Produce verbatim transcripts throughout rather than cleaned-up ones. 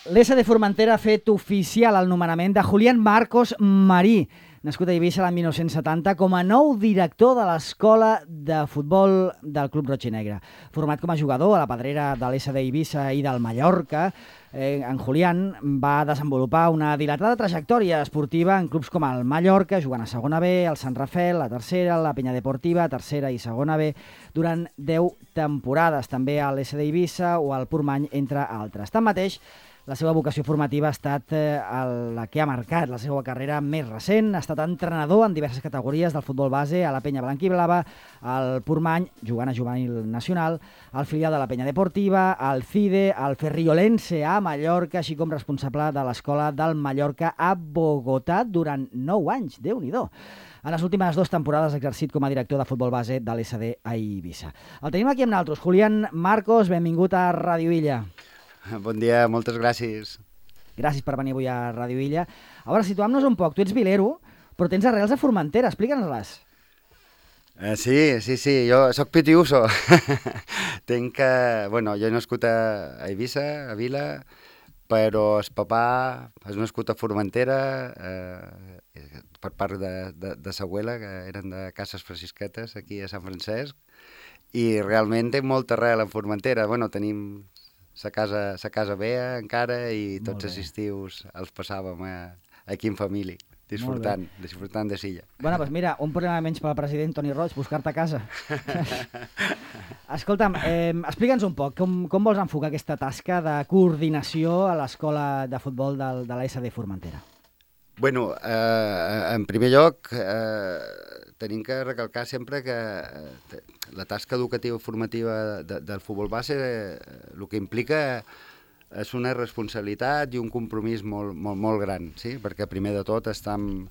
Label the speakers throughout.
Speaker 1: L'E S D Formentera ha fet oficial el nomenament de Julián Marcos Marí, nascut a Eivissa l'any mil nou-cents setanta, com a nou director de l'Escola de Futbol del Club Roig i Negre. Format com a jugador a la pedrera de l'E S D Eivissa i del Mallorca, eh, en Julián va desenvolupar una dilatada trajectòria esportiva en clubs com el Mallorca, jugant a segona B, el Sant Rafel, la tercera, la Penya Deportiva, tercera i segona B, durant deu temporades, també a l'E S D Eivissa o al Portmany, entre altres. Tanmateix, la seva vocació formativa ha estat eh, la que ha marcat la seva carrera més recent. Ha estat entrenador en diverses categories del futbol base a la Penya Blanquiblava, al Portmany, jugant a juvenil nacional, al filial de la Penya Deportiva, al CIDE, al Ferriolense a Mallorca, així com responsable de l'Escola del Mallorca a Bogotà durant nou anys. Déu-n'hi-do. En les últimes dues temporades ha exercit com a director de futbol base de l'E S D a Eivissa. El tenim aquí amb nosaltres. Julián Marcos, benvingut a Ràdio Illa.
Speaker 2: Bon dia, moltes gràcies.
Speaker 1: Gràcies per venir avui a Ràdio Illa. A veure, situem-nos un poc. Tu ets vilero, però tens arrels a Formentera. Explica'ns-les.
Speaker 2: Uh, sí, sí, sí. Jo soc pitiuso. Tenc que... Bueno, jo he nascut a Eivissa, a Vila, però el papà és nascut a Formentera, eh, per part de, de, de sa abuela, que eren de Cases Francisquetes, aquí a Sant Francesc, i realment té molta arrel en Formentera. Bueno, tenim... Sa casa, sa casa bé encara i tots els estius els passàvem a, aquí en família, disfrutant, disfrutant de Silla.
Speaker 1: Bueno, doncs mira, un problema menys pel president Toni Roig, buscar-te a casa. Escolta'm, eh, explica'ns un poc, com, com vols enfocar aquesta tasca de coordinació a l'escola de futbol del, de l'E S D Formentera?
Speaker 2: Bueno, eh, en primer lloc, eh, tenim que recalcar sempre que eh, la tasca educativa i formativa de, del futbol base eh, el que implica és una responsabilitat i un compromís molt, molt, molt gran, sí? Perquè primer de tot estem,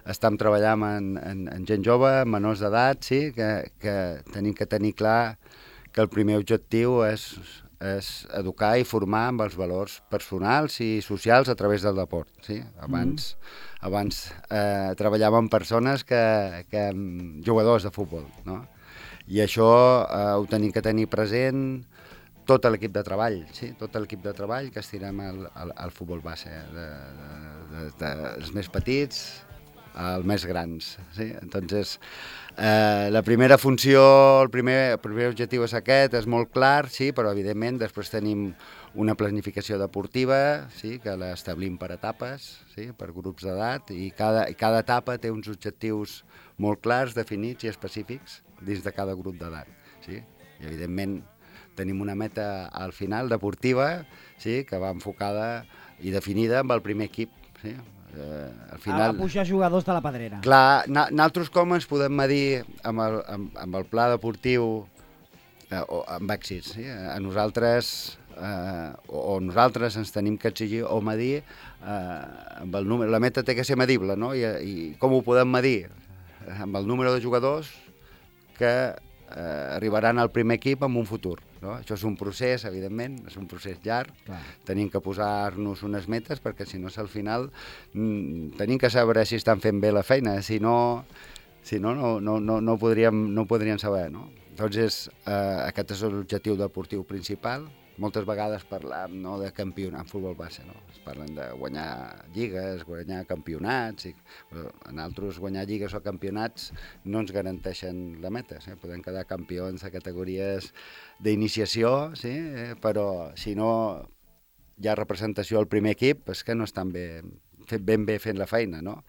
Speaker 2: estem treballant en, en, en gent jove, menors d'edat, sí? que, que tenim que tenir clar que el primer objectiu és, és educar i formar amb els valors personals i socials a través del deport. Sí? Abans, mm. abans eh, treballàvem amb persones que, que jugadors de futbol, no? I això eh, ho tenim que tenir present tot l'equip de treball, sí? Tot l'equip de treball que estirem al, al, al futbol base, de, de, de, de, dels més petits als més grans. Sí? Entonces, eh, la primera funció, el primer, el primer objectiu és aquest, és molt clar, sí? Però evidentment després tenim una planificació deportiva, sí? Que l'establim per etapes, sí? Per grups d'edat, i cada, cada etapa té uns objectius molt clars, definits i específics dins de cada grup d'edat. Sí? I evidentment tenim una meta al final deportiva, sí? Que va enfocada i definida amb el primer equip. Sí? Eh, al final,
Speaker 1: a pujar jugadors de la pedrera.
Speaker 2: Clar, nosaltres com ens podem medir amb el, amb, amb el pla deportiu eh, o amb èxits. Sí? A nosaltres, eh, o, o nosaltres ens tenim que exigir o medir eh, amb el número. La meta té que ser medible, no? I, i com ho podem medir? Amb el número de jugadors que eh, arribaran al primer equip en un futur. No? Això és un procés, evidentment, és un procés llarg. Clar. Tenim que posar-nos unes metes perquè si no, al final mm, tenim que saber si estan fent bé la feina, si no, si no, no, no, no, no, podríem, no podríem saber. No? Entonces, eh, aquest és l'objectiu deportiu principal. Moltes vegades parlem, no, de campionat en futbol base, no? Es parlen de guanyar lligues, guanyar campionats, i, però en altres guanyar lligues o campionats no ens garanteixen la meta, sí? Podem quedar campions a categories d'iniciació, sí? eh, però si no hi ha representació al primer equip és que no estan ben, ben bé fent la feina, no?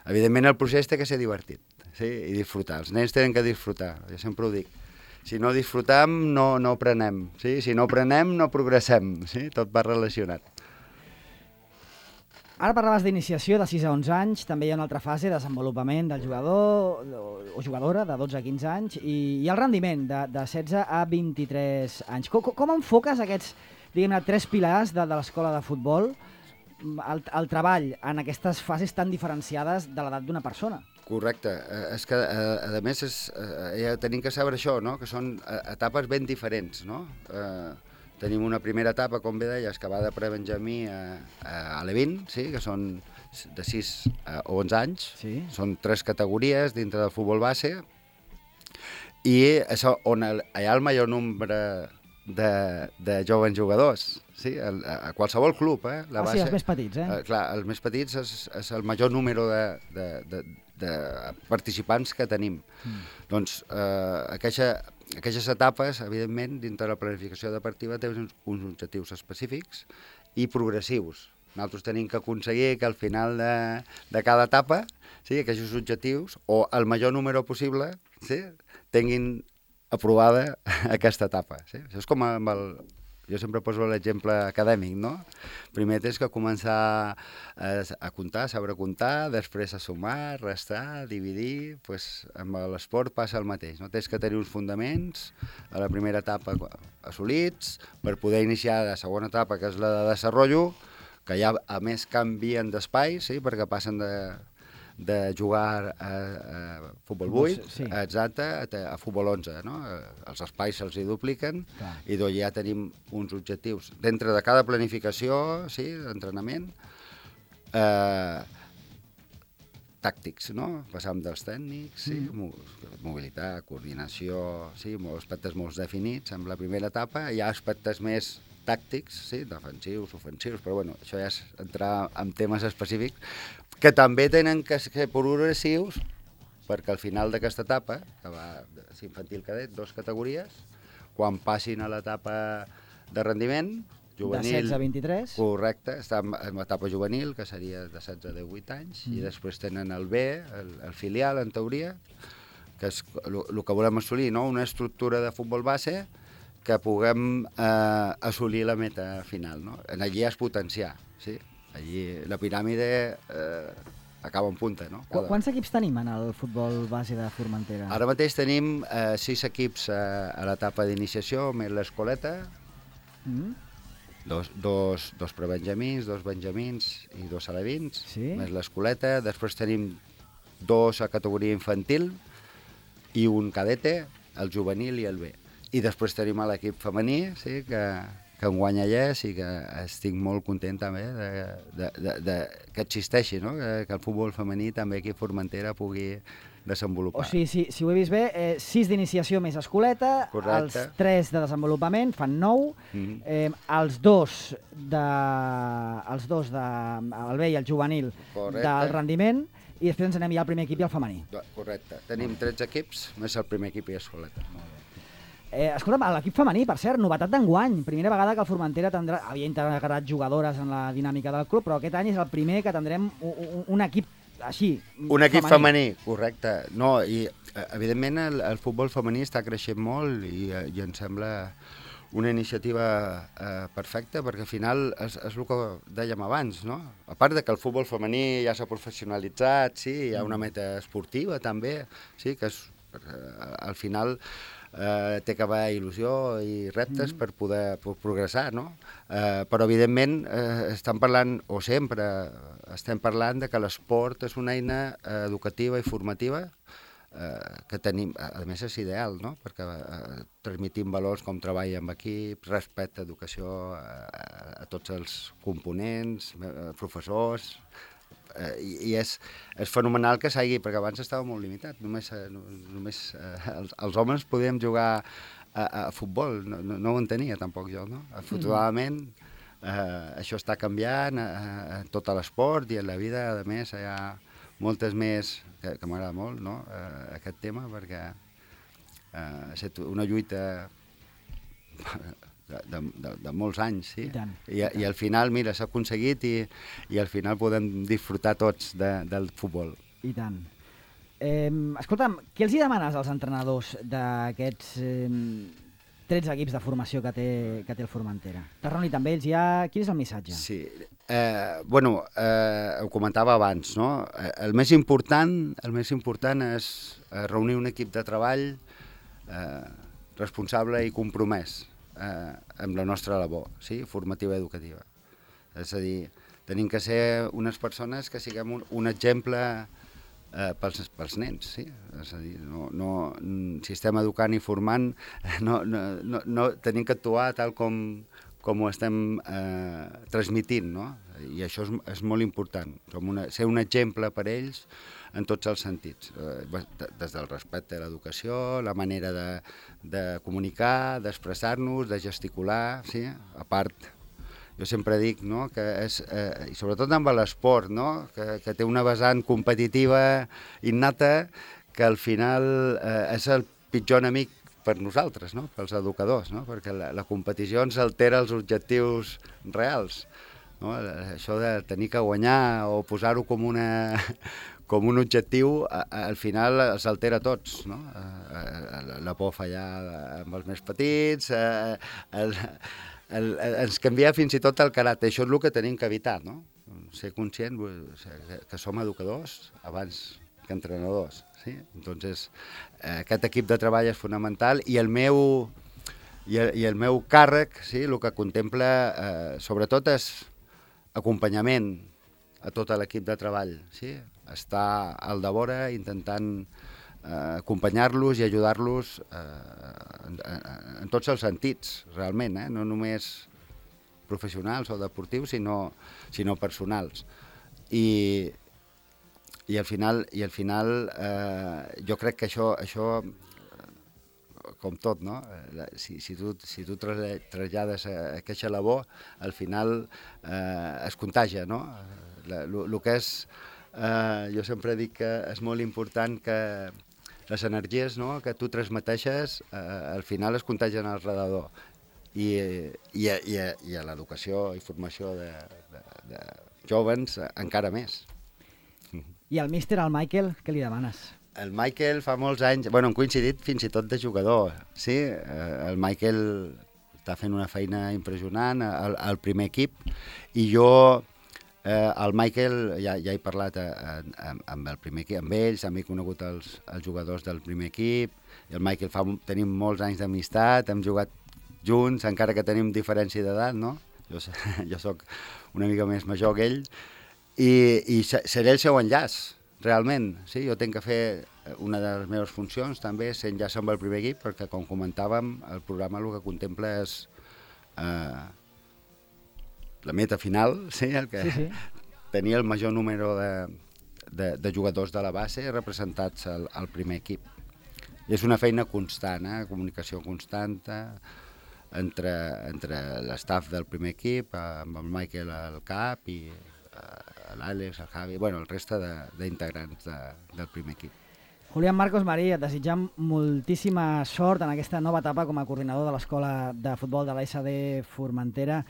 Speaker 2: Evidentment el procés té que ser divertit, sí? I disfrutar, els nens tenen que disfrutar, jo sempre ho dic. Si no disfrutam, no, no aprenem. Sí? Si no aprenem, no progressem. Sí? Tot va relacionat.
Speaker 1: Ara parlaves d'iniciació de sis a onze anys, també hi ha una altra fase de desenvolupament del jugador o jugadora de dotze a quinze anys i, i el rendiment de, de setze a vint-i-tres anys. Com, com enfoques aquests, diguem-ne, tres pilars de, de l'escola de futbol, el, el treball en aquestes fases tan diferenciades de l'edat d'una persona?
Speaker 2: Correcte. Eh, és que, eh, a més, és, eh, ja tenim que saber això, no? Que són eh, etapes ben diferents, no? Eh, tenim una primera etapa, com bé deies, que va de prebenjamí a, a Alevín, sí? Que són de sis a onze anys. Sí. Són tres categories dintre del futbol base i és on el, hi ha el major nombre de, de joves jugadors, sí? A, a qualsevol club. Eh?
Speaker 1: La ah, baixa, sí, els més petits, eh?
Speaker 2: eh? Clar, els més petits és, és el major número de, de, de, de participants que tenim. Mm. Doncs eh, aquella, aquelles etapes, evidentment, dintre de la planificació deportiva tenen uns, uns objectius específics i progressius. Nosaltres tenim que aconseguir que al final de, de cada etapa, sí, aquests objectius, o el major número possible, sí, tinguin aprovada aquesta etapa. Sí? Això és com amb el... Jo sempre poso l'exemple acadèmic, no? Primer tens que començar a, a comptar, a saber comptar, després a sumar, restar, dividir... Pues, amb l'esport passa el mateix, no? Tens que tenir uns fundaments a la primera etapa assolits per poder iniciar la segona etapa, que és la de desenvolupament, que ja a més canvien d'espai, sí? Perquè passen de... de jugar a, a futbol vuit, sí. Exacte, a, a futbol onze, no? Els espais se'ls hi dupliquen. Clar. I doncs ja tenim uns objectius. Dintre de cada planificació, sí, d'entrenament, eh, tàctics, no? Passam dels tècnics, sí, mm. mobilitat, coordinació, sí, molts aspectes molt definits. En la primera etapa hi ha aspectes més tàctics, sí, defensius, ofensius, però bueno, això ja és entrar en temes específics, que també tenen que ser progressius, perquè al final d'aquesta etapa, que va infantil cadet, dues categories, quan passin a l'etapa de rendiment, juvenil...
Speaker 1: De setze a vint-i-tres.
Speaker 2: Correcte, està en l'etapa juvenil, que seria de setze a divuit anys, mm. i després tenen el B, el, el filial, en teoria, que és el que volem assolir, no? Una estructura de futbol base que puguem eh, assolir la meta final, no? Allí és potenciar, sí? Allí la piràmide eh, acaba en punta, no?
Speaker 1: Cada... Quants equips tenim en el futbol base de Formentera?
Speaker 2: Ara mateix tenim eh, sis equips eh, a l'etapa d'iniciació, més l'escoleta, mm. dos, dos, dos prebenjamins, dos benjamins i dos alevins, sí? Més l'escoleta. Després tenim dos a categoria infantil i un cadete, el juvenil i el B. I després tenim l'equip femení, sí, que, que en guanya llest i que estic molt content també de, de, de, de, que existeixi, no? que, que el futbol femení també aquí a Formentera pugui desenvolupar.
Speaker 1: O sigui, si, si ho he vist bé, eh, sis d'iniciació més escoleta,
Speaker 2: correcte.
Speaker 1: Els tres de desenvolupament fan nou, mm-hmm. eh, els dos de, els dos de, el B i el juvenil, correcte. Del rendiment, i després ens anem ja al primer equip i al femení.
Speaker 2: Correcte. Tenim tretze equips, més el primer equip i escoleta. Molt bé.
Speaker 1: Eh, escolta'm, l'equip femení, per cert, novetat d'enguany. Primera vegada que el Formentera tindrà, havia integrat jugadores en la dinàmica del club, però aquest any és el primer que tindrem un, un equip així,
Speaker 2: un equip femení, femení correcte. No, i evidentment el, el futbol femení està creixent molt i, i em sembla una iniciativa eh, perfecta, perquè al final és, és el que dèiem abans, no? A part de que el futbol femení ja s'ha professionalitzat, sí, hi ha una meta esportiva també, sí, que és, eh, al final... Eh, té que haver il·lusió i reptes mm. per poder per progressar, no? Eh, però, evidentment, eh, estem parlant, o sempre estem parlant de que l'esport és una eina eh, educativa i formativa eh, que tenim, a més és ideal, no? Perquè eh, transmitim valors com treball amb equip, respecte, educació a, a tots els components, eh, professors... Eh, i, i és, és fenomenal que s'hagi, perquè abans estava molt limitat, només, eh, només eh, els, els homes podíem jugar a, a futbol, no, no, no ho entenia tampoc jo, no? Afortunadament eh, això està canviant a, a tot l'esport i en la vida, a més, hi ha moltes més, que, que m'agrada molt, no? eh, aquest tema, perquè eh, ha estat una lluita De, de, de, de molts anys, sí. I, tant, I, i, tant. I al final, mira, s'ha aconseguit i, i al final podem disfrutar tots de, del futbol.
Speaker 1: I tant. Eh, escolta'm, què els hi demanes als entrenadors d'aquests eh, tretze equips de formació que té, que té el Formentera? T'has reunit amb ells ja? Quin és el missatge?
Speaker 2: Sí, eh, bueno, eh, ho comentava abans, no? El més important, el més important és reunir un equip de treball eh, responsable i compromès Eh, amb la nostra labor, sí? Formativa i educativa. És a dir, tenim que ser unes persones que siguem un, un exemple eh, pels, pels nens, sí? És a dir, no, no, si estem educant i formant, no, no, no, no tenim que actuar tal com, com ho estem eh, transmitint, no? i això és, és molt important, som una, ser un exemple per ells en tots els sentits, eh, des del respecte a l'educació, la manera de, de comunicar, d'expressar-nos, de gesticular, sí? A part, jo sempre dic, no?, que és, eh, i sobretot amb l'esport, no?, que, que té una vessant competitiva innata que al final eh, és el pitjor enemic per nosaltres, no?, pels educadors, no?, perquè la, la competició ens altera els objectius reals, no?, això de tenir que guanyar o posar-ho com una... com un objectiu, al final els altera tots, no? La por a fallar amb els més petits, el, el, ens canvia fins i tot el caràcter. Això és el que tenim que evitar, no? Ser conscient que som educadors abans que entrenadors, sí? Entonces, aquest equip de treball és fonamental i el meu, i el, i el meu càrrec, sí, el que contempla, eh, sobretot, és acompanyament a tot l'equip de treball, sí? Estar al devora intentant eh, acompanyar-los i ajudar-los eh, en, en tots els sentits, realment, eh? No només professionals o deportius, sinó, sinó personals. I, i al final, i al final eh, jo crec que això, això com tot, no? Si, si tu, si tu trasllades aquesta labor, al final eh, es contagia, no? El que és, eh, jo sempre dic que és molt important que les energies, no?, que tu transmeteixes, eh, al final es contagien al redador. I, i, i, i a l'educació i formació de, de, de jovens encara més.
Speaker 1: I al míster, al Michael, què li demanes?
Speaker 2: El Michael fa molts anys, bueno, hem coincidit fins i tot de jugador, sí? El Michael està fent una feina impressionant al, al primer equip i jo, eh, el Michael, ja, ja he parlat a, a, amb el primer equip, amb ells, també he conegut els, els jugadors del primer equip, i el Michael fa, tenim molts anys d'amistat, hem jugat junts, encara que tenim diferència d'edat, no? Jo, jo sóc una mica més major que ell, i, i seré el seu enllaç, realment, sí, jo tinc que fer una de les meves funcions també, ser enllaç amb el primer equip, perquè com comentàvem, el programa el que contempla és eh, la meta final, sí, el que sí, sí. Tenir el major número de, de, de jugadors de la base representats al, al primer equip. I és una feina constant, eh, comunicació constant entre, entre l'estaf del primer equip, amb el Michael al cap i l'Àlex, el Javi, bueno, el reste d'integrants de, de, del primer equip.
Speaker 1: Julián Marcos Marí, et desitjam moltíssima sort en aquesta nova etapa com a coordinador de l'Escola de Futbol de l'A S D Formentera.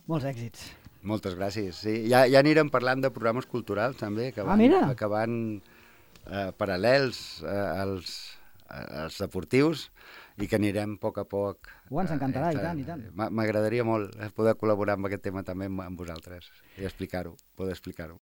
Speaker 1: Molts èxits.
Speaker 2: Moltes gràcies. Sí, ja, ja anirem parlant de programes culturals també, que van,
Speaker 1: ah,
Speaker 2: que van eh, paral·lels eh, als, als deportius i que anirem a poc a poc.
Speaker 1: Oh, ens encantarà, eh, i tant, i tant.
Speaker 2: M'agradaria molt poder col·laborar amb aquest tema també amb, amb vosaltres i explicar-ho, poder explicar-ho.